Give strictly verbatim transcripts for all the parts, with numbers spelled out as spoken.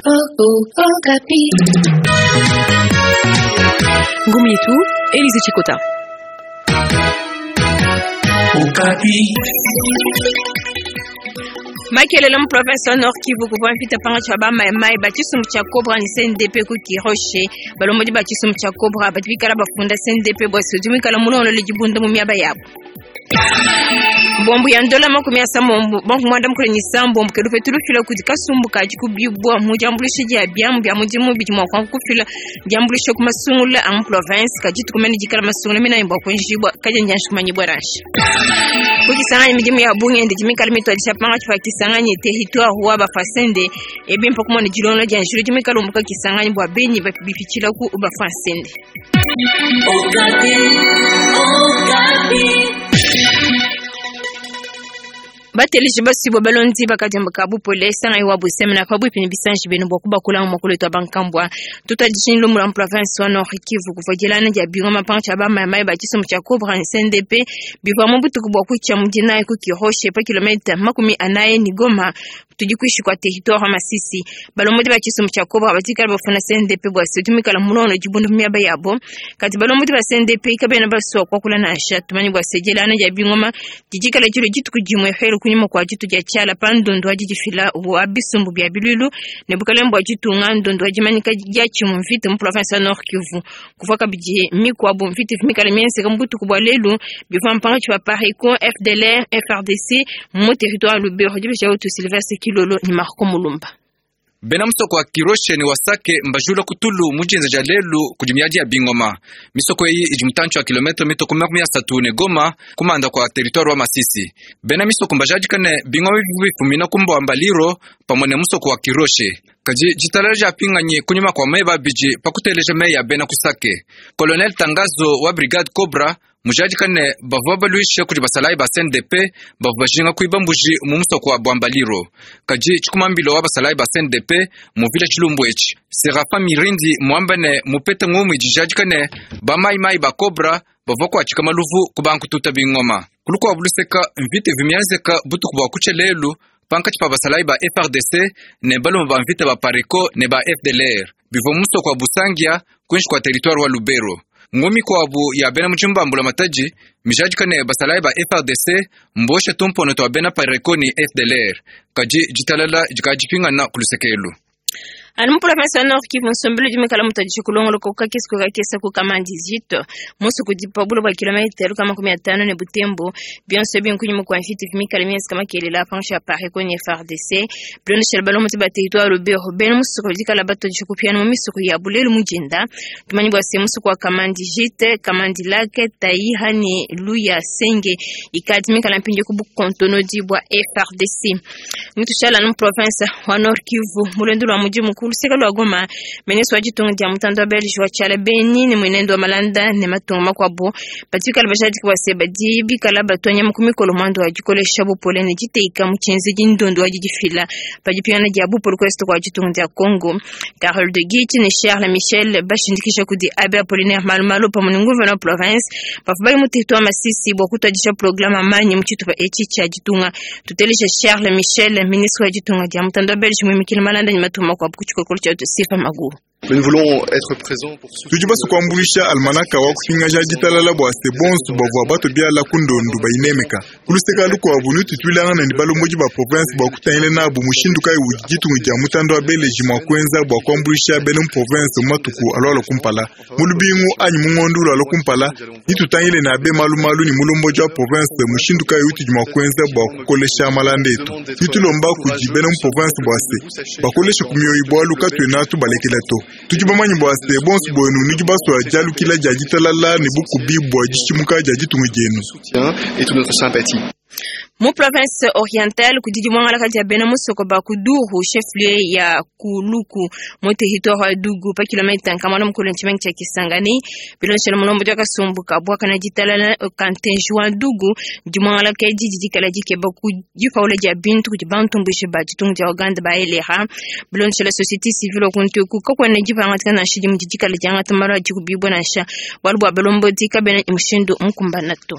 Ngumu yetu Elise Chikota. Makelele mu province wa Nord Kivu kuvua mvita pangatshi pa ba Mai-Mai ba tshisumbu tshia Cobra ne C N D P ku Kiroshe. Balombodi ba tshisumbu tshia Cobra badi bikala bafunda C N D P bua se udi muikala mulongolole dibunda mu miaba yabo. Bombu ya ndola makumi asambombo, banku mwanda mukulu ne isambombo ke lupetu lufila kudi kasumbu ka dikubibua mu diambuluisha dia biamu bia mudimu bidi mua kufila diambuluisha ku masungula a mu province kadi tukumene dikala masungula minene bua kuenjibua kadi ndianji kumanyibua nansha. Ku Kisangani midimu ya bungi ndi dimikala mituadija pangatshi pa Kisangani territoire wa Bafwasende ebi mpa kumona dilonga dia njila dimikala umbuka Kisangani bua benyi bipitshila ku Bafwasende. Bateleji basibwa balondi bakadiambuka bupole sanga iwa busemena pabuipi ne bisanji benu bua kubakula mu makolo etu a bankambua. Tutadijini lumu lwa mu province wa Nord Kivu kuvua dilana dia bingoma pangatshi pa ba Mai-Mai ba tshisumbu tshia Cobra ne C N D P bivua mu butuku bua kutshia mu dinayi ku Kiroshe pa kilomita makumi anayi ne Goma tudi kuishi kua territoire wa Masisi. Balombodi ba tshisumbu tshia Cobra badikala bafuna C N D P bua se tumikala mulongo dibundu mu miaba yabo. Kadi balombodi ba C N D P kabena basua kuakula nansha tumanyi bua se dilana dia bingoma didikala dilo dituku dimue helu kunyima kua ditu dia tshiala pa ndundu wa didifila wa bisumbu bia bilulu ne bukalenge bua ditunga ndundu wa dimanyika dia tshimu mvita mu province ya Nord Kivu. Kuvua kabidi mikuabu mvita mikala mienzeka mu butuku bua lelu bivua mpangatshi pa Pareco, F D L R, F R D C mu territoire Lubero. Dibisha utu Sylvestre Kilolo ni Marco Mulumba. Bena musoko wa Kiroshe ni wasake mbajula kutulu mujinza ja lelu kudi miadi ya bingoma. Misoko iyi idi mutantshi wa kilometre mitoko makumi asatu ne Goma kumanda kwa territoire wa Masisi. Bena misoko mbajadikane bingoma bifumina kumbo wa Mbaliro pamwe ne musoko wa Kiroshe. Kadi jitalala ja pinganyi kunyuma kwa meba biji pakuteleja meya ya bena kusake. Colonel Tangazo wa Brigade Cobra mujadikane bavua baluisha kudi basalayi ba C N D P bavua bajinga kuiba mbuji mu musoko wa Bwambaliro. Kadi tshikumambilo wa basalayi ba C N D P muvila tshilumbu etshi. Serapin Mirindi muambane mupete ngumu dijadikane ba Mai-Mai ba Cobra bavua kuatshika maluvu ku bankututa bingoma. Kulukua buluseka mvita vimianzeka butuku bua kutshia lelu pankatshi pa basalayi ba F R D C ne balume ba mvita ba Pareco ne ba F D L R bivua musoko wa Busangia kuinshi kua territoire wa Lubero. Ngumi kwabu ya bena muchimbambula mataji mijadikane basalayi ba F R D C mboshe tumpono twa bena Pareco ni F D L R kadi jitalala jikajipingana kulusekelu. Anu mu province ya Nord Kivu nsombelo dimikala mutadisha kulongoloka kukakesa kukakesa ku Kamandi zito musu kudipa bulo bua kilomita luka makumi atano ne Butembo bionso binkunyuma kwa mfiti vimikala miezi kama kelela panshi ya Pareco ni F R D C bilondeshela balomo ba territoire Lubero bena musuku dikala batodisha kupiana mu misuku ya bulelu mujinda tumanyi bua se musuku wa Kamandi Jite Kamandi Lake Taiha ni Luya Senge ikadi mikala mpindio ku bukontono dibwa F R D C mutushala nu province wa Nord Kivu mulendo lwa muji mukulu luseka lwa Goma ministre wa ditunga dia mutanda wa Belge wa tshiala Beni ne mwenendo wa Malanda ne matunga makuabu batikala bajadiki bua se badi bikala batonya mu kumikolo mwando wa dikolesha bupole ne diteika mu tshienze dindondo wa didifila pa dipingana dia bupole ku est kua ditunga dia Congo. Carole de Guiche ne Charles Michel bashindikisha kudi Abbé Apollinaire Malumalu pamwe ne gouverneur wa province bavua bali mu territoire Masisi bua kutuadisha programme amanyi mu tshitupa etshi tshia ditunga. Tutelesha Charles Michel ministre wa ditunga dia mutanda wa Belge muimikile Malanda ne matunga makuabu ku tshikokolo tshia Sifa Magu. Mais nous voulons être présents pour soutenir Tudi basukuambulisha almanaka wa kupingaja ditalala bua se bonso bavua bato biala kundondu bayinemeka. Kuluseka lukuabu nututwilangana ne balombodi ba province bua kutangila nabu mushindu kayi udi ditunga dia mutanda wa Belge mua kuenza bua kuambulisha bena mu province mu matuku alualua kumpala. Mu lubingu anyi mu ngondu lualua kumpala, nitutangile na abe malumalu ne mulombodi wa province mushindu kayi utudi mua kuenza bua kukolesha malanda etu. Nitulomba kudi bena mu province bua se bakoleshe ku mioyo bualu katuena tubalekela to. Tudi bamanyi bua se bonso buenu nudi basua dialukila dia ditalala ne bukubi bua dishimuka dia ditunga dienu. Soutien et toute notre sympathie. Mu province orientale kudi dimwangala dia bena musoko ba Kuduru chef-lieu ya Kuluku mu territoire wa Dugu pa kilomita nkama mukulu ntshimenga tshia Kisangani bilonshela mulombo dia kasumbu ka bwaka na ditalala kantenji wa Dugu dimwangala ke didi dikala dikeba ku dipaula dia bintu kudi bantumbushe ba ditunga dia Uganda ba elera bilonshela société civile kuntu ku kakwena dipangatika nansha dimu didikala diangata malu adi kubibwa nansha bualu bua balombo dikabena mushindu mukumbana to.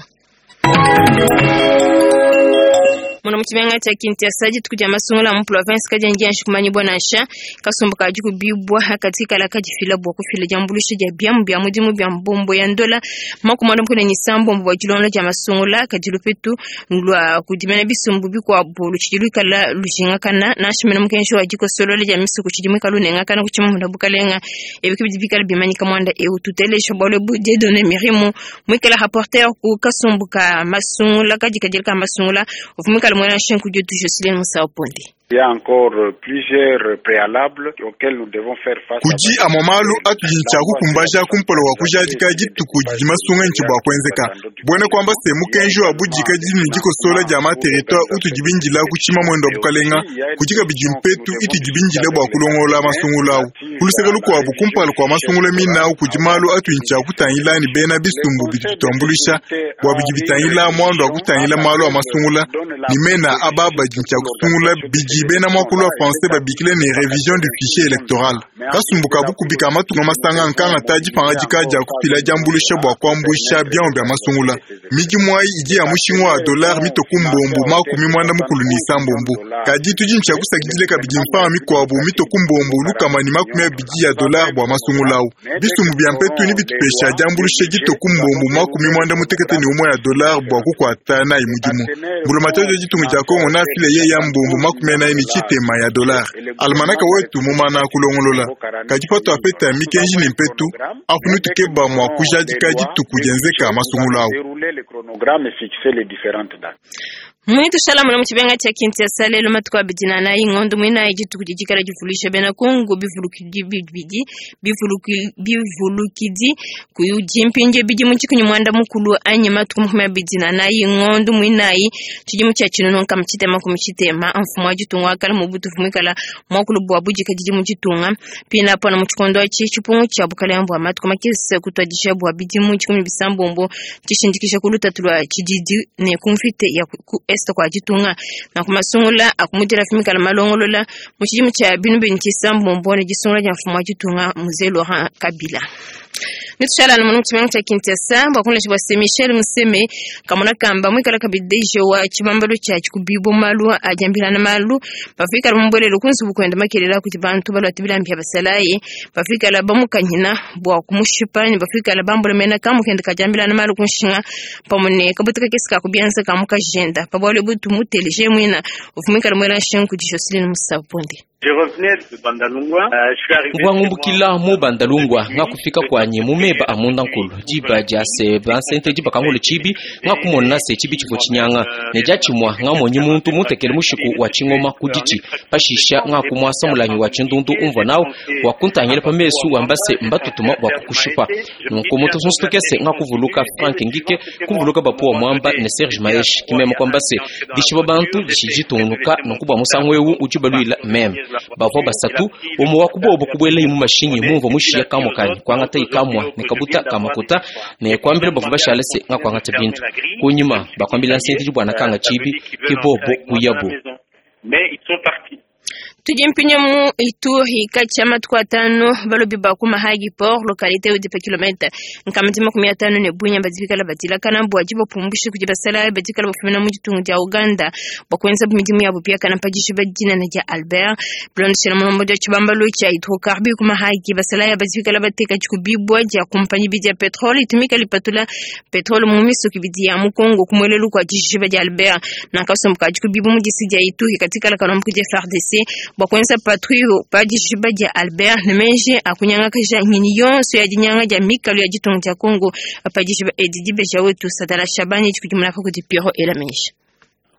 Muna mu tshimenga tshia Kinshasa dituku dia masungula mu province kadiena dianji kumanyibua nansha. Kasumbu kadi kubibwa katikala kadifila bua kufila diambuluisha dia biamu bia mudimu bia mbombo ya ndola makumi muanda ne isambombo bua dilonda dia masungula kadi lupetu lua kudimena bisumbu bikuabu lutshidi luikala lujingakana nansha mena mukenji wa dikosolola dia misuku tshidi muikala unengakana ku tshimamunda bukalenga. Ebi ke bidi bikala bimanyika muanda eu tutelesha bualu ebu Dieudonné Mirimu muikala rapporteur ku kasumbu ka masungula kadi kadila ka masungula uvua muikala muena nshingu dietu Jocelyn Musauponde. Il y a encore plusieurs préalables auxquels nous devons faire face. Kudi amwe malu atudi ntshiakukumbaja kumpala wa kujadika dituku didi masunga ntshi bua kuenzeka. Buena kuamba se mukenji wa budika didi ne dikosola dia ma territoire utudi bindila ku tshimamwendo wa bukalenga kudi kabidi mpetu itudi bindila bua kulongola masungula awu. Kuluseke lukuabu kumpala kua masungula mina awu kudi malu atudi ntshiakutangila ne bena bisumbu bidi bituambuluisha bua bidi bitangila muandu wa kutangila malu a masungula ne mena aba badi ntshiakusungula bidi bena mwakulu wa français babikile ne révision du fichier électoral. Kasumbu ka bukubi ka matunga masanga nkanga ta dipanga dika dia kufila diambuluisha bua kuambuisha biamu bia masungula. Midimu ayi idi ya mushinga wa dollar mitoku mbombo makumi muanda mukulu ne isambombo. Kadi tudi ntshiakusakidile kabidi mfanga mikuabu mitoku mbombo lukama ne makumi abidi ya dollar bua masungula awu. Bisumbu bia mpetu ne bitupesha diambuluisha ditoku mbombo makumi muanda mutekete ne umwe ya dollar bua kukuata nayi mudimu. Mbulamatadi wa ditunga dia Kongo nafile ye ya mbombo makumi anayi ne tshitema ya dollar. Almanaka wetu mumana kulongolola. Kadi pato apeta mikenji ne mpetu apu nutukeba mua kujadika dituku dienzeka masungula awu. Mwitu shala muna mu tshimenga tshia Kinshasa lelo matuku abidi na anayi ngondo muinayi dituku didikala divulusha bena Kongo bivulukidi bibidi bivulukidi kudimpinge bidimu tshikunyi muanda mukulu anyi matuku makumi abidi na anayi ngondo muinayi tshidimu tshia tshinunu nkama tshitema kumi tshitema mfumu wa ditunga wakala mubutufu muikala muakulu bua budika didi mu ditunga pina pona mu tshikondo atshi tshipungu tshia bukalenga bua matuku makese kutuadisha bua bidimu tshikumi bisambombo tshishindikisha ku lutatu lua tshididi ne ku mvita ya ku est kwa ditunga na kumasungula akumudira fimikala malongolola mu tshidimu tshia binu bini tshisambombo ne disungula dia mfumu wa ditunga Mzee Laurent Kabila. Nitushala na munumu tshia Kinshasa bua kunlesha bua se Michel Museme kamona kamba muikala kabidi D G wa tshibambalu tshia tshikubibo malu adiambilana malu bafikala mumbwelelo kunzubu kwenda makelela kuti bantu balwate bilambi bya basalayi bafikala bamukanyina bua kumushipa ne bafikala bambulemena kamukenda kadiambilana malu kunshinga pamwe ne kabutuka kesi kakubianza kamukajenda pabwale butu muteleje mwina ufumikala mwela nshingu kudi Jocelyn Musaponde. Ngwangumbukila mu bandalungwa ngakufika kwanye mumeba amunda nkulu diba dia se bansente diba kangolo chibi ngakumona se chibi chifo chinyanga ne dia chimwa ngamonyi muntu mutekele mushiku wa chingoma kudichi pashisha ngakumwasa mulanyi wa chindundu umva nawo wakuntangile pamesu wambase mbatutuma wa kukushipa nunku muntu sunsutukese ngakuvuluka Frank Ngike kuvuluka bapuwa mwamba ne Serge Maesh kimema kwambase dishiba bantu dishijitungunuka nunku bwa musango ewu ujibalwila meme bavua basatu omo wakubobo kubwela imu mashinyi mumva mushiya kamukani kwangata ikamwa ne kabuta kamakuta ne kwambila bavua bashala se ngakwangata bintu kunyuma bakwambila nsente dibwana kanga chibi kibobo kuyabo. Tudi mpinye mu Ituri kati ya matuku atano balobi ba ku Mahagi Port localité udi pa kilomètre nkama makumi atano ne bunya badikala badilakana bua dibapumbusha kudi basala badikala bafumina mu ditunga dia Uganda bua kuenza midimu yabo piakana pa dishiba dinene dia Albert bilondeshela mulombo dia tshibambalu tshia hydrocarbure ku Mahagi basala badikala bateka tshikubibwa dia kumpanyi bidi ya petrole itumika lipatula petrole mu misuki bidi ya mu Congo kumwelelu kwa dishiba dia Albert na kasomboka tshikubibu mu disi dia Ituri katikala kalombo dia F A R D C bua kuenza patrouille pa dishiba dia Albert ne menje akunyanga kaja nyini yonso ya dinyanga dia mikalo ya ditunga dia Congo pa dishiba edi dibeja wetu Sadala Shabani tshikudimuna pa kudi Pierrot Elameja.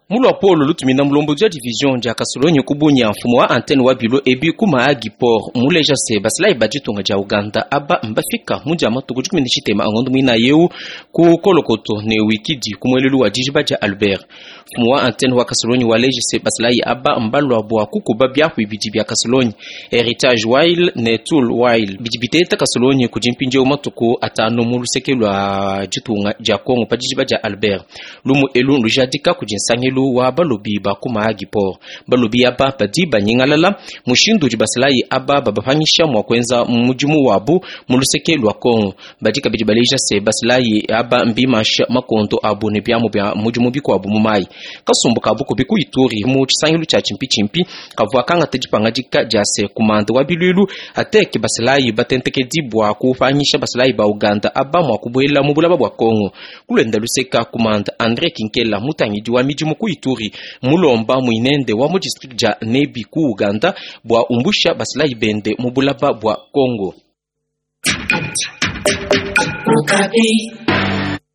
Mulwa polo lutumina mulombo dia division dia Kasolonyi kubunya mfumo wa antenne wa bilo ebi ku Mahagi Port muleja se basila ibaditunga dia Uganda aba mbafika mudia matuku dikumi ne tshitema angondo mwina yeu ku kolokoto ne wikidi kumwelelu wa dijiba dia Albert. Mfumo wa antenne wa Kasolonyi waleja se basila aba mbalwa bua kukuba byaku ibidi bya Kasolonyi Heritage Wile ne Tool Wile bidibiteta Kasolonyi kudimpinje matuku atano mu luseke lwa ditunga dia Kongo pa dijiba dia Albert. Lumu elu lujadika kudinsangelu nsangilu wa balobi ba ku Mahagi Port. Balobi aba badi banyingalala mushindu udi basalayi aba babapangisha mua kuenza mudimu wabu mu luseke lua Kongo. Badi kabidi baleja se basalayi aba mbimasha makondo abu ne biamu bia mudimu bikuabu mu mai. Kasumbu ka bukubi ku Ituri mu tshisangilu tshia tshimpitshimpi kavua kangata dipangadika dia se kumanda wa bilwilu ateke basalayi batentekedi bua kupangisha basalayi ba Uganda aba mua kubuela mu bulaba bua Kongo. Kulenda luseka kumanda André Kinkela mutangidi wa midimu ku Ituri mulomba muinende wa mu district dia Nebi ku Uganda bua umbusha basalayi bende mu bulaba bua Kongo.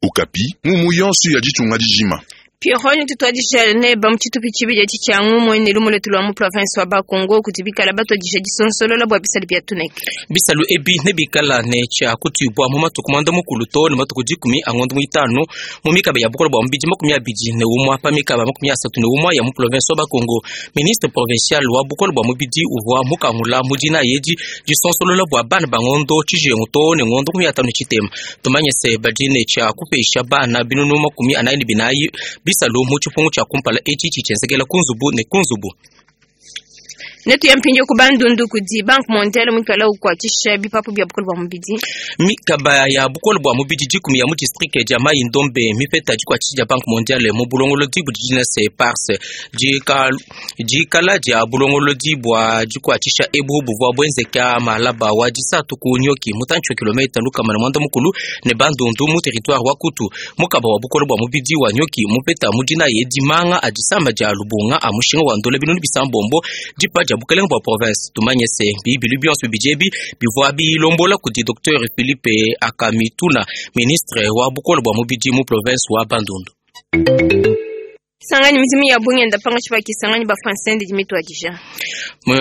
Okapi mumu yonso ya ditunga dijima. Pierrot tutwadisha ne bamuchitupi chibidi tshichangu mwene lumuletu lwa mu province wa Bakongo kutibikala batwadisha disonsolola bwa bisalu bya tuneke. Bisalu ebi ne bikala ne cha kutibwa mu matuku mwanda mukulu to ne matuku dikumi angondo muitano mu mikaba ya bukola bwa mbiji makumi abidi ne umwa pa mikaba makumi asatu ne umwa ya mu province wa Bakongo. Ministre provincial wa bukola bwa mubidi uvwa mukangula mudina yedi disonsolola bwa bana bangondo chijengo to ne ngondo kumi atano chitema. Tumanye se badine cha kupesha bana binunu makumi anayi binayi bisalu mu chipungu cha kumpala echi chichenzekela kunzubu ne kunzubu. Netu ya mpinjo kubandundu kudi Banque Mondiale mwikala ukwatisha bipapu bya bukolo bwa mubidi. Mikaba ya bukolo bwa mubidi dikumi ya mu district ya Mai Ndombe mipeta dikwatisha Banque Mondiale mu bulongolo dibu dina se parse dikala dikala dia bulongolo dibwa dikwatisha ebu buvwa bwenzeka malaba wa disatu ku nyoki mutancho kilomita lukama na mwanda mukulu ne bandundu mu territoire wa Kutu. Mukaba wa bukolo bwa mubidi wa nyoki mupeta mudina yedimanga adisamba dia lubunga amushinga wa ndole binunu bisambombo dipa dia bukelenge bwa province. Tumanye se bibilu bionso bijebi bivwa bilombola kudi Docteur Philippe Akamituna ministre wa bukolo bwa mubidi mu province wa Bandundu. Sangani mizimu ya bunge ndapanga chibaki sangani ba français ndi mitwadisha.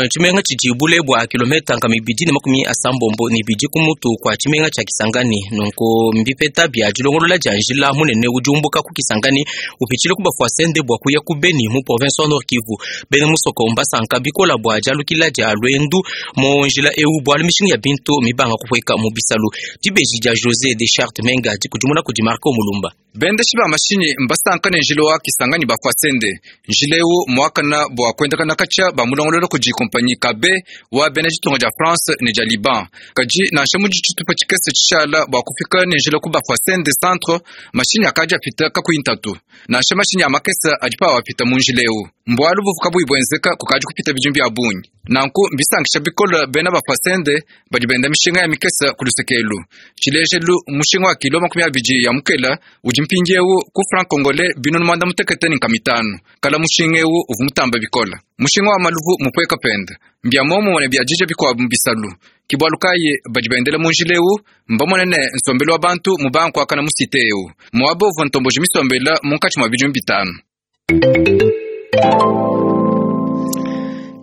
Chimenga chijibule bwa kilomita nga mibidi ne makumi asambombo ni bidi kumutu kwa chimenga cha Kisangani nonko mbipeta bya dilongolola dia njila munene ujumbuka ku Kisangani upichile kuba fwasende bwa kuya ku Beni mu province wa Nord Kivu. Bene musoko mbasanka bikola bwa jalukila dia lwendu mu njila eu bwa mishinga ya bintu mibanga kupweka mu bisalu. Dibeji dia José de Charte Menga dikujumuna ku Dimarco Mulumba. Bende shiba mashinyi mbasanka ne njila wa Kisangani ba fwasende njileu mwakana bwa kwendakana kacha ba mulongololo kuji kompanyi kabe wa bene jitunga ja France ne ja Liban kaji nansha muji chitupa chikese chishala bwa kufika ne njila ku ba fwasende centre mashinyi akaja pita kakuintatu nansha mashinyi amakesa ajipa wapita mu njileu mbwalu buvuka buibwenzeka kukaji kupita bijumbi abunyi nanku mbisankisha bikola bena ba fwasende badi benda mishinga ya mikesa kulusekelu chilejelu mushinga wa kilo makumi abiji ya mukela udi mpindiewu ku franc congolais binunu mwanda mutekete ni nkamitano kala mushinga ewu uvu mutamba bikola mushinga wa maluvu mupweka penda mbya momo ne bya jije bikwabu mbisalu kibwalukaye badi bendela munjila ewu mbamonene nsombelo wa bantu mubanku akana musite ewu muaba uvu ntomboji misombela munkatshi mwa bijumbi bitano.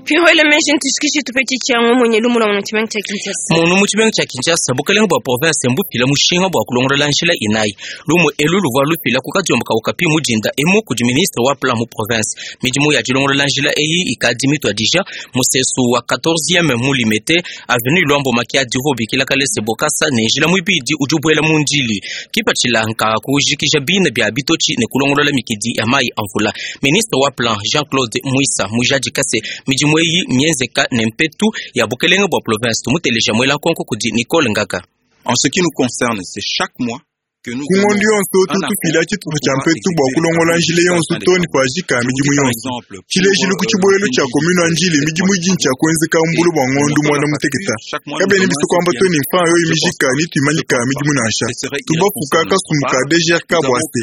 Pihole meshi ntushikishe tupeti changu mwenye lumu la muchimenga cha Kinshasa. Munu muchimenga cha Kinshasa bukelenge bwa province mbupila mushinga bwa kulongola njila inayi. Lumu elu luvwa lupila kukadiomba Okapi mujinda emu kudi ministre wa plan mu province. Midimu ya dilongola njila eyi ikadimitwa dija musesu wa quatorzième mulimete avenue Luambo Makiadi bikila kalese bokasa ne njila mwibidi ujubwela munjili. Kipachila nka kujikija bina bya bitochi ne kulongola mikidi ya mai amvula. Ministre wa plan Jean-Claude Muisa mujaji kase midimu eyi mienzeka ne mpetu ya bukelenge bwa province tumuteleja mwela konko kudi Nicole Ngaka. En ce qui nous concerne, c'est chaque mois kungondi yonso tutufila tshitupa tshia mpetu bua kulongola njila yonso toni pajika midimu yonso tshilejelu ku tshibuelu tshia komunu ya njili midimu idini tshia kuenzeka mbulu bua ngondu muanda muteketa kabene biso kuamba toni mfa yoyi mijika ni tuimanyika midimu nansha tubafuka kasumbuka D G R K bua se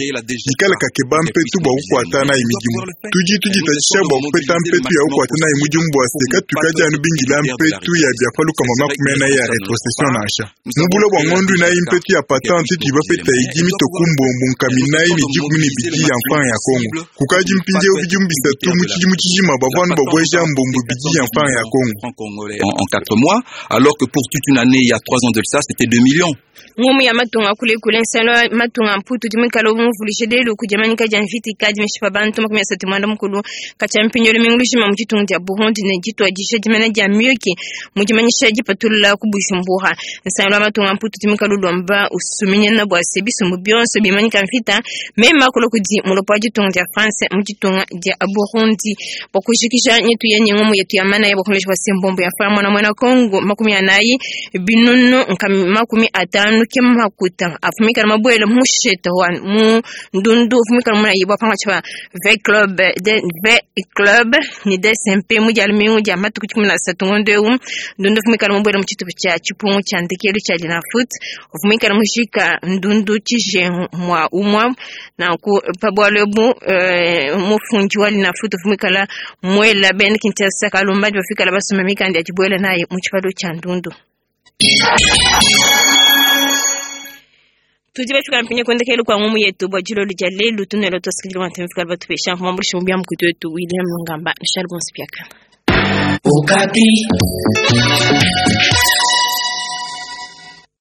dikala kakeba mpetu bua kukuata nayi midimu tudi tuditatshisha bua kupeta mpetu ya kukuata nayi mudimu bua se katuikadi anu bingila mpetu ya biapaluka makumi anayi ya retrocession nansha mubula bua ngondu inayi mpetu ya patente tuibapeta idimi tokumbombo nkaminayi ne dikumi ne bidi ya mfanga ya Kongo kukaji mpindieu bidimu bisatu mu tshidimu tshijima bavua babweja mbombo bidi ya mfanga ya Kongo en, en quatre mois, alors que pour toute une année, il y a trois ans de ça, c'était deux millions. Ngumu ya matunga kule kule nsalo matunga mputu dimikalo mvulishe lelo kujamanika janviti kadi mishipa bantu makumi asatu mwanda mukulu kacha mpinyolo mingulushima mu tshitungu dia Burundi ne jitwa jisha dimana dia mioki mujimanyisha jipatulula ku Bujumbura nsalo matunga mputu dimikalo lomba usuminyana bwa se bisumbu bionso bimanyika mvita mema kulo kudi mulopo wa ditunga dia France mu ditunga dia Burundi. Bua kujikija nyetu ya ngumu yetu ya mana ya bukoleshi bwa sembombo ya fa mwana mwana Kongo makumi anayi binunu nkami makumi atanu ke makuta afumika na mabwele musheta wa mu ndundu afumika na mwana yibwa panga chwa V club de V club ni D S M P mu jali mingu ja matuku kumi na satu ngondo eu ndundu afumika na mabwele muchitu cha chipungu cha ndekelu cha Linafoot afumika na mushika ndundu chije mwa umwa na ku pabwalebu eh, mufunji wa Linafoot afumika la mwela ben Kinshasa kalumba bafika la basoma mikandi ya chibwele naye mu chipalo cha ndundu. Tudi bafika mpinye kwendekelu kwa ngumu yetu bwa jilo lija lelu tunelo tosikili wa ntemfika batupesha mfumambulisho mbya mkutu wetu William Lungamba Charles Bonspiaka. Okapi.